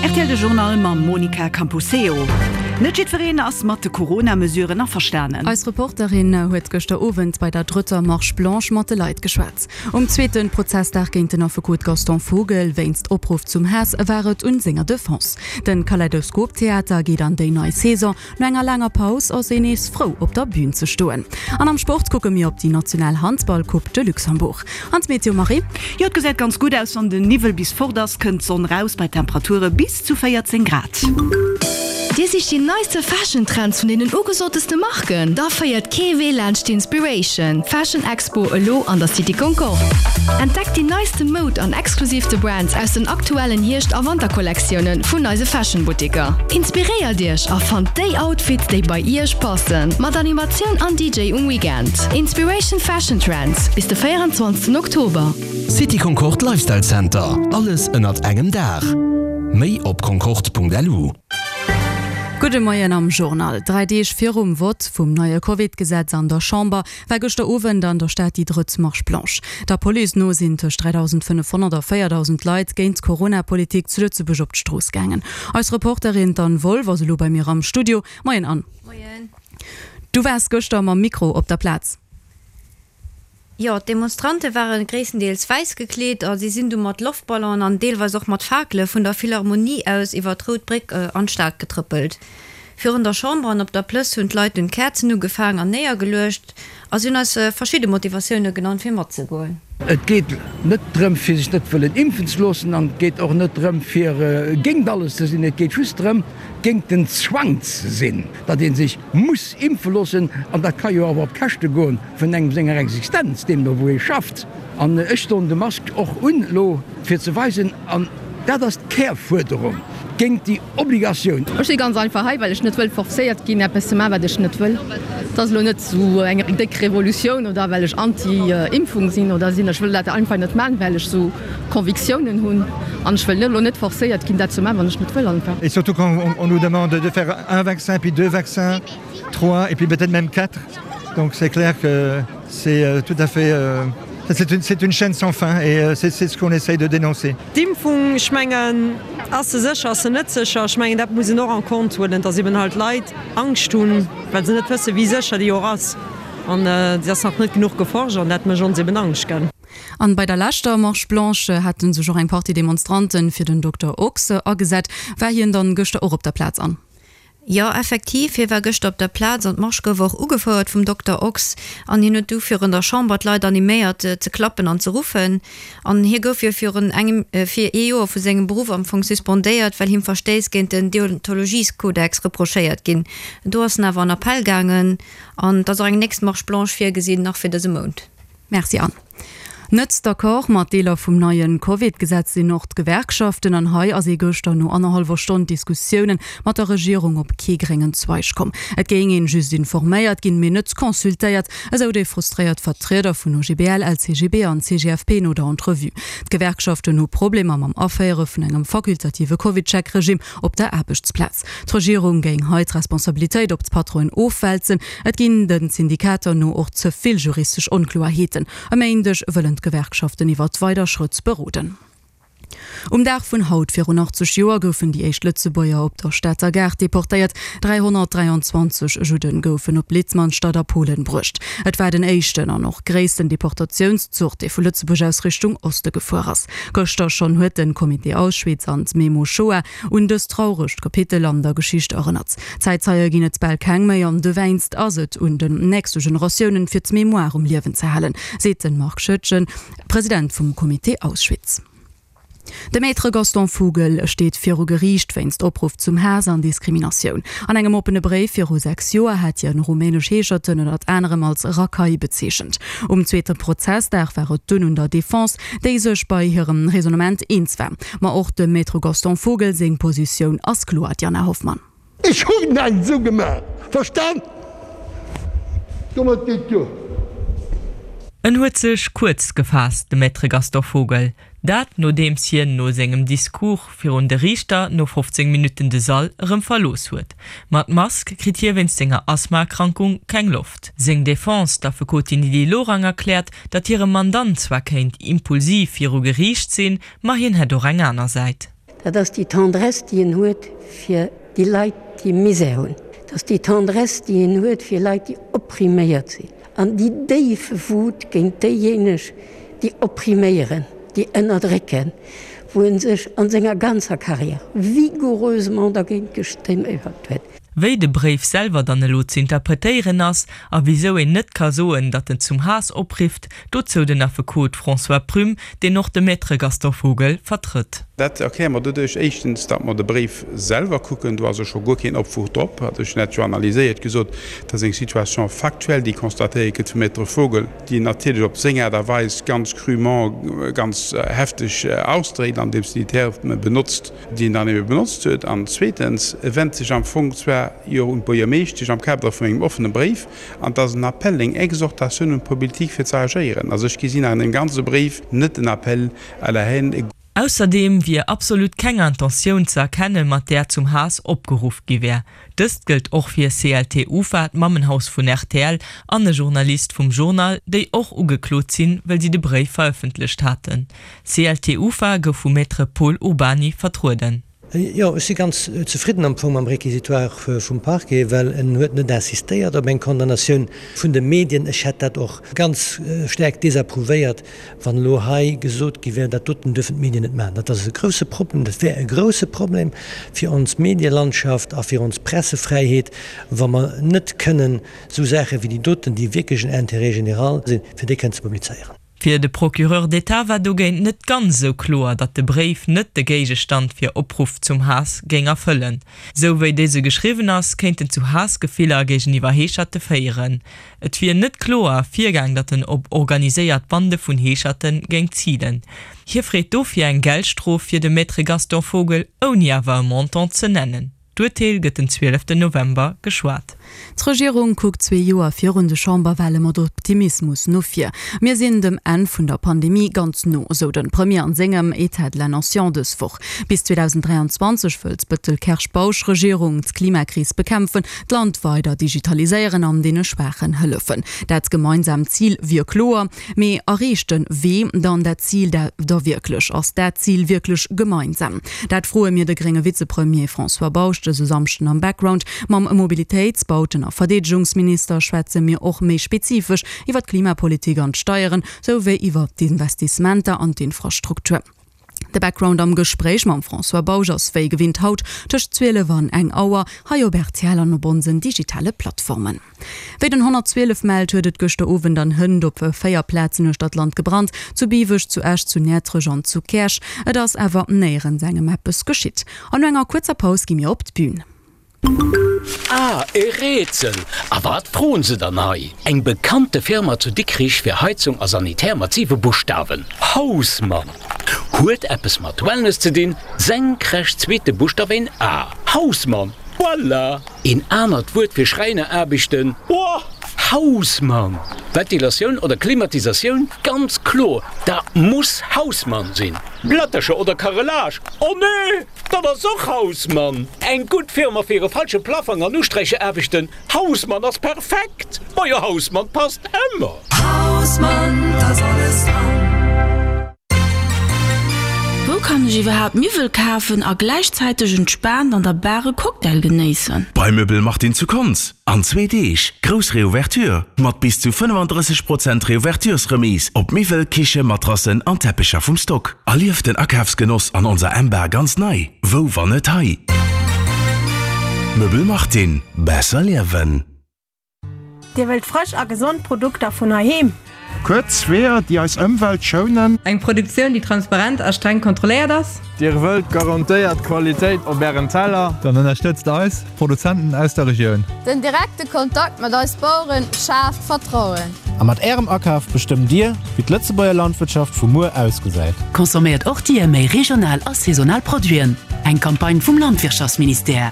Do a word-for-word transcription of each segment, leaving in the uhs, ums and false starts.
Rtl de Journal mam Monica Camposeo. Net jiddwereen ass mat de Corona-Mesuren averstanen. Eis Reporterin huet gëschter Owend bei der drëtter Marche Blanche mat de Leit geschwat. Um zweete Prozessdag géint den Affekot Gaston Vogel wéinst Opruff zum Haass war et un senger Defense. De Kaleidoskop Theater geet an déi nei Saison. No enger laanger Paus ass een nees frou op der Bün ze stoen. An am Sport kucke mir op déi national Handball-Coupe de Luxembourg. An d'Meteo Marie? Jo, et gesäit ganz gutt aus. Wann den Niwwel bis fort ass, kënnt d'Sonn raus bei Temperature bis zu véierzéng Grad. Dir sicht déi neiste Fashion Trends vun deenen ugesoteste Marken? Da féiert kee Wee laanscht d'Inspiration Fashion Expo elo an der City Concorde. Entdeckt déi neiste Moud an exklusiivste Brands aus den aktuellen Hierscht a Wanterkollektioune vun eise Fashion Buttiker. Inspiréiert Iech a fannt déi Outfits, déi bei Iech passen. Mat Animatioun an D J um Weekend. Inspiration Fashion Trends bis de véierenzwanzegsten Oktober. City Concorde Lifestyle Center, alles ënnert engem Daach. Méi op concorde Punkt L U. Gudde Moien am Journal. Dräi Deeg virum Vott vum neie Covid-Gesetz an der Chamber war gëschter Owend an der Stad déi drëtt Marche Blanche. Der Police no sinn tëscht dräidausendfënnefhonnert a véierdausend Leit géint d'Corona-Politik zu Lëtzebuerg op d'Strooss gaangen. Eis Reporterin d'Anne Wolff ass elo bei mir am Studio. Moien Anne. Moien. Du waars gëschter mam Mikro op der Plaz. Jo, d'Demonstrante ware gréisstendeels wäiss gekleet a si sinn du mat Loftballonen an deelweis och mat Fakele vun der Philharmonie aus iwwer d'Rout Bréck an d'Stad getrëppelt. Virun der Chamber an op der Plëss hunn d'Leit dunn Käerzen ugefaangen an néiergeluecht a si hunn eis verschidde Motivatioune genannt fir matzegoen. Et geet net drëm fir sech net wëllen impfen ze loossen an et geet och net drëm fir géint alles ze sinn. Et geet just drëm géint den Zwang ze sinn, datt ee sech muss impfe loossen an dat ka jo awer op Käschte goen vun engem senger Existenz, deemno wou ee schafft. An ech doen de Mask och un elo fir ze weisen, an dat ass d'Kärfuerderung, géint déi Obligatioun. Ech si ganz einfach hei, well ech net wëll forcéiert ginn, eppes ze maachen, wat ech net wëll. Et ass elo net esou eng déck Revolutioun oder well ech anti-Impfung sinn oder sinn. Ech wëll dat einfach net maachen, well ech esou Convictiounen hunn an ech wëll elo net forcéiert ginn, dat ze maachen, wann ech net wëll einfach. Et surtout quand on nous demande de faire un vaccin, puis deux vaccins, trois et puis peut-être même quatre. Donc c'est clair que c'est tout à fait c'est une, c'est une chaîne sans fin et c'est ce qu'on essaye de dénoncer. D'Impfung, ech mengen, ass se sécher, ass se net sécher? Ech mengen, dat muss een och en compte huelen, dass eben halt Leit Angscht hunn, well se net wëssen, wéi sécher déi och ass. An se ass nach net genuch geforscht an dat mécht ons eben Angscht, gell. An bei der leschter Marche Blanche haten sech och eng Partie Demonstranten fir den Dokter Ochs agesat. War hien dann gëschter och op der Plaz, Anne? Jo, effektiv, hie war gëschter op der Plaz an d'Marsch gouf och ugefouert vum Dokter Ochs an hien huet du virun der Chamber d'Leit animéiert ze klappen an ze ruffen. An hie gouf jo virun engem fir ee Joer vu sengem Beruff am Fong suspendéiert, well him Verstéiss géint den Deontologieskodex reprochéiert ginn. Do ass en awer an Appell gaangen an et ass och eng nächst Marche blanche virgesinn, nach fir dëse Mount. Merci Anne. Net d'accord mat Deeler vum neien Covid-Gesetz sinn och d'Gewerkschaften an hei ass ee gëschter no annerhallwer Stonn Diskussiounen mat der Regierung op kee gréngen Zweig komm. Et géing een just informéiert ginn, mee net consultéiert, esou déi frustréiert Vertrieder vun O G B L, L C G B an C G F P no der Entrevue. D'Gewerkschaften hu Problemer mam Aféiere vun engem fakultative Covid-Check-Regime op der Aarbechtsplaz. D'Regierung géing hei d'Responsabilitéit op d'Patronen ofwälzen. Et ginn den Syndikater no och ze vill juristesch Onkloerheeten. E Méindeg wëllen d'Gewerkschaften iwwer weider Schrëtt beroden. Um Dag vun haut virun achtzeg Joer goufen déi éischt Lëtzebuerger op der Stater Gare deportéiert. dräihonnertdräianzwanzeg Judden goufen op Litzmannstadt a Polen bruecht. Et war den éischten an och gréissten Deportatiounszuch, dee vu Lëtzebuerg aus Richtung Oste gefuer ass. Gëschter schonn huet den Comité Auschwitz an d'Memo Shoah un dëst trauregt Kapitel an der Geschicht erënnert. Zäitzeie ginn et bal keng méi an dowéinst ass et un den nächste Generatiounen fir d'Mémoire um Liewen ze halen, seet den Marc Schoettgen, President vum Comité Auschwitz. De Maître Gaston Vogel steet viru Geriicht wéinst Opruff zum Haass an Diskriminatioun. An engem oppene Bréif viru sechs Joer hat hien rumänesch Heescherten ënnert anerem als Rakai bezeechent. Um zweete Prozessdag war et dunn un der Defense, déi sech bei hirem Raisonnement eens war. Ma och dem Maître Gaston Vogel seng Positioun ass kloer, Diana Hoffmann. Ech hunn näischt esou gemaach, verstan? Domat geet duer. En huet sech kuerz gefaasst, de Maître Gaston Vogel. Dat nodeems hien no sengem Discours virun de Riichter no fofzéng Minutten de Sall erëm verlooss huet. Mat Mask kritt hie wéinst senger Asthmaerkrankung keng Loft. Seng Defense, d'Affekotin Lydie Lorang erkläert, datt hire Mandant zwar kéint impulsiv viru Geriicht sinn, ma hien hätt och eng aner Säit. Dat ass déi Tendresse, déi en huet fir déi Leit, déi Misär hunn. Dat ass déi Tendresse, déi en huet fir Leit, déi oppriméiert sinn. An déi déif Wut géint déijéineg, déi oppriméieren, déi ënnerdrécken, wou en sech an senger ganzer Carrière vigoureusement dergéint gestemmt huet. Wéi de Bréif selwer dann elo ze interpretéieren ass a wisou een net ka soen, datt en zum Haass oprifft, dozou den Affekot François Prüm, deen och de Maître Gaston Vogel vertrëtt. Dat erkläre mer doduerch, éischtens, datt mer de Bréif selwer kucken, do ass jo scho guer keen Opwuch drop, hat ech net jo analyséiert, gesot, dat ass eng Situation factuelle, déi constatéiert gëtt vum Maître Vogel, déi en natierlech op seng Aart a Weis ganz crûment, ganz hefteg ausdréckt, andeems en déi Terme benotzt, déi en dann ebe benotzt huet, an zweetens, e wennt sech am Fong zwar jo un d'Buergermeeschtesch am Kader vun engem offene Bréif, an et ass en Appel, eng Exhortatioun un d'Politik fir ze agéieren. Also ech gesinn an deem ganze Bréif net en Appel à la haine. Ausserdeem wier absolut keng Intentioun ze erkennen, mat där zum Haass opgeruff gi wär. Dëst gëllt och fir C L T Ufa, d'Mammenhaus vun R T L, an e Journalist vum Journal, déi och ugeklot sinn, well si de Bréif verëffentlecht haten. C L T Ufa gouf vum Maître Pol Urbany vertrueden. Jo, ech si ganz zefridden am Fong mam Réquisitoire vum Parquet, well en huet net insistéiert op eng Condamnatioun vun de Medien. Ech hätt dat och ganz staark désapprouvéiert, wann elo hei gesot gi wär, dat doten duerfen d'Medien net maachen. Dat ass e grouse Problem, dat wär e grouse Problem fir ons Medielandschaft a fir ons Pressefräiheet, wa mer net kënnen esou Saache wéi déi doten, déi wierklech en Intérêt général sinn, fir déi kënnen ze publizéieren. Fir de Procureur d'État war dogéint net ganz esou kloer, datt de Bréif net de Géigestand fir Opruff zum Haass géing erfëllen. Sou wéi dëse geschriwwen ass, kéint en zu Haassgefiller géigeniwwer Heescherte féieren. Et wier net kloer ervirgaang, datt en op organiséiert Bande vun Heescherte géing zilen. Hie freet dofir eng Geldstrof fir de Maître Gaston Vogel, ouni awer e Montant ze nennen. D'Urteel gëtt den zwieleften November geschwat. D'Regierung kuckt zwee Joer virun de Chamberwale mat Optimismus no vir. Mir sinn dem Enn vun der Pandemie ganz no, sou de Premier an sengem État de la Nation dës Woch. Bis zweedausend dräianzwanzeg wëllt d'Bettel-Kersch-Bausch-Regierung d'Klimakris bekämpfen, d'Land weider digitaliséieren an deene Schwaachen hëllefen. Dat gemeinsaamt Zil wier kloer, mee erreecht de Wee dann dat Zil da wierklech? Ass dat Zil wierklech gemeinsam? Dat froe mir de grénge Vizepremier François Bausch dëse Samschden am Background. Mam Mobilitéits-, Bauten a Verdeedegungsminister schwätze mir och méi spezifesch iwwer d'Klimapolitik an d'Steieren, souwéi iwwer d'Investissementer an d'Infrastruktur. De Background am Gespréich mam François Bausch ass wéi gewinnt haut tëscht zwielef an eng Auer hei op R T L an op onsen digitale Plattformen. Wéi den honnertzwielef mellt, huet et gëschter Owend an hënt op véier Plazen uechter d'Land gebrannt, zu Biweg, zu Esch, zu Näertrech an zu Käerch. Et ass awer néierens engem eppes geschitt. An no enger kuerzer Paus gi mir op d'Bün. Ah, e Rätsel! A wat froen se dann hei? Eng bekannte Firma zu Dikrich fir Heizung a Sanitär mat siwe Buschtawen. Hausmann! Huet eppes mat Wellness ze dinn, senkrecht zweete Buschtaf een A. Hausmann! Voilà! Een anert Wuert fir Schräineraarbechten? Boah! Hausmann! Ventilatioun oder Klimatisatioun? Ganz kloer, dat muss Hausmann sinn. Plättercher oder Carrelage? Oh nee! Dat ass och Hausmann! Eng gutt Firma fir e falsche Plafang an Usträichaarbechten? Hausmann ass perfekt! Majo Hausmann passt ëmmer! Hausmann, da ass alles dran. Wou kann ech iwwerhaapt Miwwel kafen a gläichzäiteg entspaant an der Bar e Cocktail genéissen? Bei Möbel Martin zu Konz. An zwee Deeg grouss Reouverture mat bis zu fënnefandrësseg Prozent Reouverturesremise op Miwwel, Kiche, Matrassen an Teppecher vum Stock. Erlieft den Akafsgenoss an onser M-Bar ganz nei. Wou wann net hei? Möbel Martin. Besser liewen. Dir wëllt frësch a gesond Produkter vun heiheem? Kuerz Weeër, déi eis Ëmwelt schounen. Eng Produktioun, déi transparent a streng kontrolléiert ass? Dir wëllt garantéiert Qualitéit op ären Teller? Dann ënnerstëtzt eis Produzenten aus der Regioun. Den direkte Kontakt mat eis Baueren schaaft Vertrauen. A mat ärem Akaf bestëmmt Dir, wéi d'Lëtzebuerger Landwirtschaft vu muer ausgesäit. Consomméiert och Dir méi regional a saisonal Produiten. Eng Campagne vum Landwirtschaftsministère.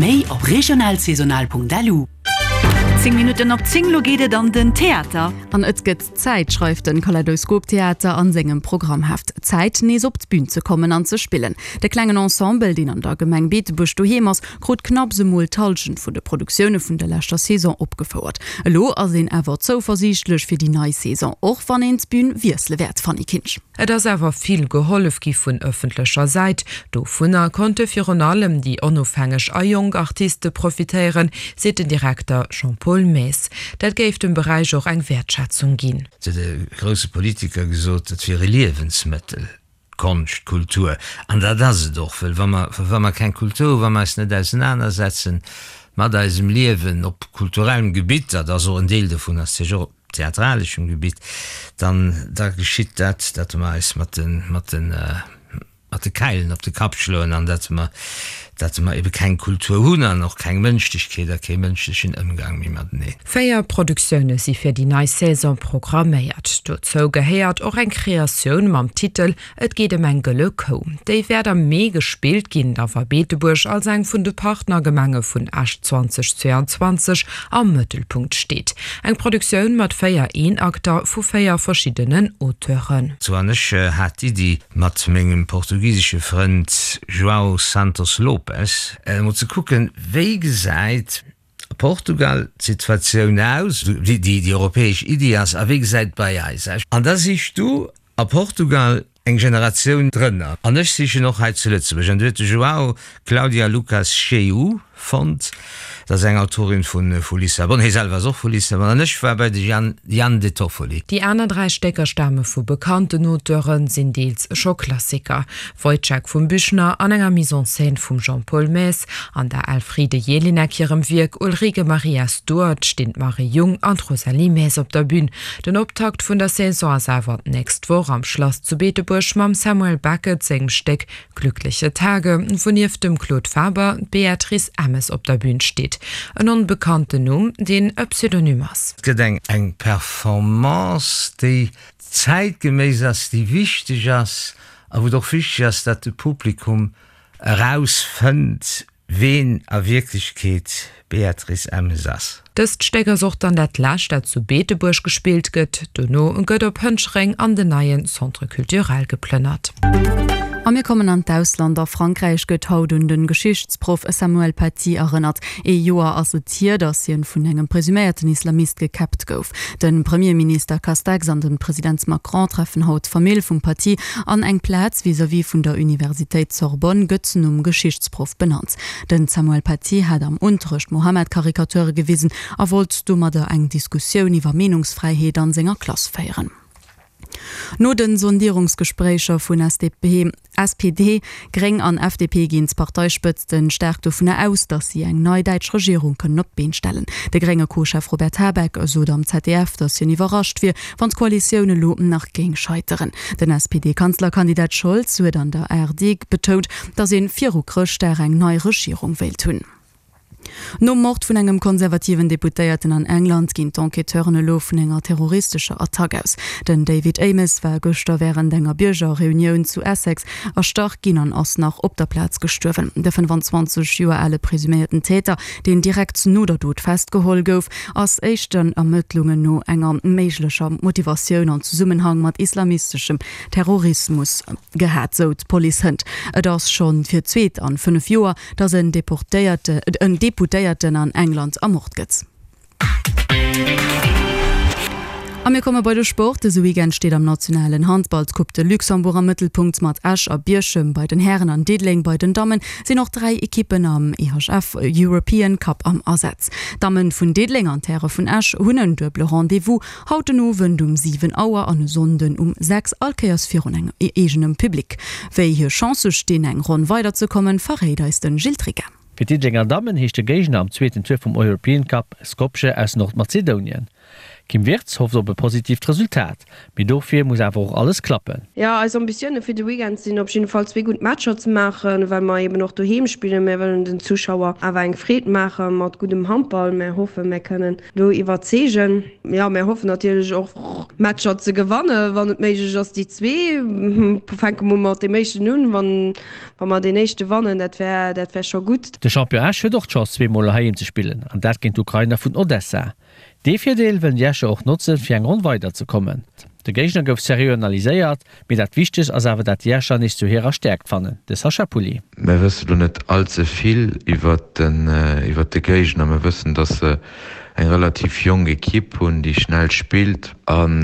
Méi op regionalsaisonal Punkt lu. Zéng Minutten op zéng, Lo geet et an den Theater. An et gëtt Zäit, schreift den Kaleidoskop Theater an sengem Programmheft. Zäit, nees op d'Bün ze kommen an ze spillen. De klengen Ensemble, deen an der Gemeng Beetebuerg doheem ass, krut knapps emol d'Hallschent vun de Produktioune vun der leschter Saison opgefouert. Elo ass een awer zouversiichtlech fir déi nei Saison, och wann een d'Bün wiessele wäert, Fanny Kinsch. Et ass awer vill gehollef gi vun ëffentlecher Säit. Dovunner konnte virun allem déi onofhängeg a jonk Artiste profitéieren, seet den Direkter Jean-Paul Maes. Dat géif dem Beräich och eng Wäertschätzung ginn. Et huet e grousse Politiker gesot, et wier e Liewensmëttel, d'Konscht, d'Kultur. An dat ass et och, well wa mer, wa mer keng Kultur hunn, wa mer eis net ausenanersetzen mat eisem Liewen op kulturellem Gebitt, dat ass och en Deel dovun, ass natierlech och op theatraleschem Gebitt, dann da geschitt dat, datt mer eis mat de, mat de, mat de Käilen op de Kapp schloen an datt mer, datt mer ebe keng Kultur hunn an och keng Mënschlechkeet a kee mënschlechen Ëmgang méi mateneen. Véier Produktioune si fir déi nei Saison programméiert. Dozou gehéiert och eng Kreatioun mam Titel Et geet ëm eng gëlle Kou. Déi wäert am Mee gespillt ginn, da wa Beetebuerg als eng vun de Partnergemenge vun Esch zweitausendzweiundzwanzeg am Mëttelpunkt steet. Eng Produktioun mat véier Eenakter vu véier verschiddenen Auteuren. Sou an ech hat d'Iddi mat mengem portugisesche Frënd João Santos Lopes emol ze kucken, wéi gesäit a Portugal d'Situatioun aus, wéi déi europäesch Iddi ass a wéi gesäit et bei eis aus. An da sichs du a Portugal eng Generatioun drënner an ech sichen och hei zu Lëtzebuerg. An du huet de João d'Cláudia Lucas Cheú fonnt, dat ass eng Autorin vu Lissabon, hie selwer ass och vu Lissabon, an ech war bei de Jan, Jan De Toffoli. Déi aner dräi Stécker stame vu bekannten Auteuren, sinn deels scho Klassiker, Woyzeck vum Büchner an enger Mise en scène vum Jean-Paul Maes. An der Elfriede Jelinek hirem Wierk Ulrike Maria Stuart stinn d'Marie Jung an d'Rosalie Maes op der Bün. Den Optakt vun der Saison ass awer d'nächst Woch am Schlass zu Beetebuerg mam Samuel Beckett sengem Stéck Glückliche Tage, wou nieft dem Claude Faber d'Beatrice Emmes op der Bün steet. En onbekannten Numm, deen e Pseudonym ass. Et gëtt eng eng Performance, déi zäitgeméiss ass, déi wichteg ass a wou et och wichteg ass, datt de Publikum erausfënnt, ween a Wierklechkeet d'Beatrice Emmes ass. Dëst Stéck ass och dann dat lescht, dat zu Beetebuerg gespillt gëtt. Dono gëtt op Hënchereng an den neie Centre culturel geplënnert. A mir kommen an d'Ausland. A Frankräich gëtt haut un de Geschichtsproff Samuel Paty erënnert. Ee Joer ass et hier, datt hien vun engem presuméierten Islamist gekäppt gouf. De Premierminister Castex an de President Macron treffen haut d'Famill vum Paty an eng Plaz vis-à-vis vun der Universitéit Sorbonne gëtt nom Geschichtsproff benannt. Den Samuel Paty hat am Unterrecht Mohammed-Karikature gewisen a wollt domadder eng Diskussioun iwwer Meenungsfräiheet an senger Klass féieren. No den Sondierungsgespréicher vun S D P, S P D, Gréng an F D P ginn d'Parteispëtzten staark dovunner aus, datt si eng nei däitsch Regierung kënnen op d'Been stellen. De grénge Co-Chef Robert Habeck sot am Z D F, datt hien iwwerrascht wier, wann d'Koalitioun elo nach géing scheiteren. Den S P D-Kanzlerkandidat Scholz huet an der A R D betount, datt ee viru Chrëschtdag eng nei Regierung wéilt hunn. Nom Mord vun engem konservativen Deputéierten an England ginn d'Enquêteuren elo vun enger terroristescher Attack aus. Den David Amess war gëschter wärend enger Biergerreunioun zu Essex erstach ginn an ass nach op der Plaz gestuerwen. De fënnefenzwanzeg Joer ale presuméierten Täter, deen direkt no der Dot festgeholl gouf, ass éischten Ermëttlungen no enger méiglecher Motivatioun an Zesummenhang mat islamisteschem Terrorismus gehat, sou d'Police hënt. Et ass schonn fir d'zweet an fënnef Joer, datt en Deportéierte, en Deputéierten an England ermort gëtt. A mir komme bei de Sport. Dëse Weekend steet am nationalen Handballcup de Luxembourg am Mëttelpunkt. Mat Esch a Bierchem bei den Hären an Diddeleng bei den Dammen sinn och dräi Ekippen am E H F European Cup am Asaz. D'Damme vun Diddeleng an d'Häre vun Esch hunn en duebele Rendez-vous haut den Owend um siwen Auer an e Sonnden um sechs, all Kéiers virun engem eegenem Public. Wéi hir Chancë stinn, eng Ronn weiderzekommen, verréit eis de Gilles Trigger. Fir d'Diddelenger Dammen heescht de Géigner am zweeten Tour vum European Cup Skopje aus Nordmazedonien. D'Kim Wirtz hofft op e positiivt Resultat, mee dofir muss awer och alles klappen. Jo, eis Ambitioune fir de Weekend sinn op jidde Fall zwee gutt Matcher ze maachen, well mer eben och doheem spillen. Mär wëllen den Zuschauer awer eng Freed maache mat guddem Handball. Mär hoffen, mär kënnen do iwwerzeegen. Jo, mär hoffen natierlech och Matcher ze gewannen, wann et méiglech ass déi zwee. Fänke mer mat deem éischten un, wann wa mer deen éischte wannen, dat wär dat wär scho gutt. De Champion Esch huet och d'Chance zwee Mol heiheem ze spillen, an dat géint d'Ukrainer vun Odessa. Dee Virdeel wëllen déi Escher och notzen, fir eng Ronn weider ze kommen. De Géigner gouf seriö analyséiert, mee dat Wichtegst ass awer dat déi Escher nees zu hirer Stäerkt fannen. De Sacha Pulli. Mir wësse lo net all ze vill iwwert den iwwert de Géigner. Mir wëssen, datt se eng relativ jonk Ekipp hunn, déi schnell spillt an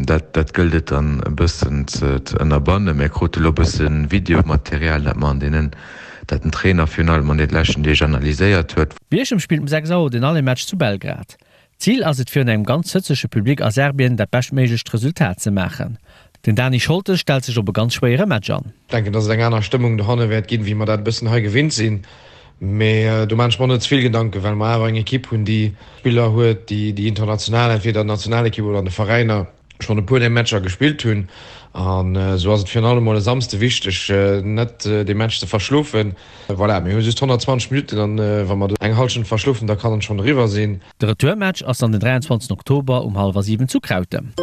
dat dat gëllt et dann e bëssen ze ze ënnerbannen. Mir krute lo e bësse Videomaterial, dat mer an deenen dat den Trainer virun allem an de leschten Deeg analyséiert huet. Bierchem spillt um sechs Auer den Aller-Match zu Belgrad. Zil ass et virun engem ganz hëtzege Public a Serbien dat beschtméiglecht Resultat ze maachen. Den Dani Scholtes stellt sech op e ganz schwéiere Match an. Ech denken, dass et eng aner Stëmmung dohanne wäert ginn, wéi mer dat e bëssen hei gewinnt sinn. Mee do maan ech mer net ze vill Gedanken, well mer awer eng Ekipp hunn, déi Spiller huet, déi international, entweder an der Nationalekipp oder an de Veräiner, schonn e puer där Matcher gespillt hunn. An esou ass et virun allem mol e Samsde wichteg, net dee Match ze verschlofen. Voilà, mir hu just honnertzwanzeg Minutten an wa mer do eng Hallschent verschlofen, da kann et schonn eriwwer sinn. De Retourmatch ass dann den dräianzwanzegsten Oktober um hallwer siwen zu Krautem.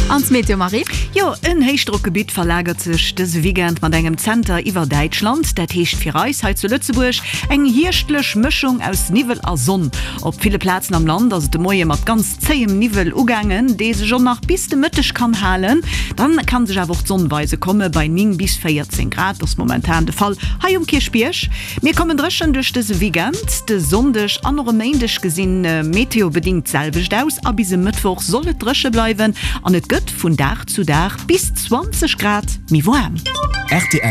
An d'Meteo, Marie? Jo, en Héichdrockgebitt verlagert sech dëse Weekend mat engem Zenter iwwer Däitschland. Dat heescht fir eis hei zu Lëtzebuerg eng hierschtlech Mëschung aus Niwwel a Sonn. Op ville Plazen am Land ass et de Moie mat ganz zéiem Niwwel ugaangen, dee sech och nach bis de Mëtteg kann halen. Dann kann sech awer och d'Sonn weise komme bei néng bis véierzéng Grad. Dat ass momentan de Fall hei um Kierchbierg. Mir kommen dréchen duerch dëse Weekend. De Sonndeg an och e Méindeg gesinn meteobedingt d'selwecht aus a bis e Mëttwoch soll et dréche bleiwen an et gëtt vun Dag zu Dag bis zwanzeg Grad méi waarm. Rtl.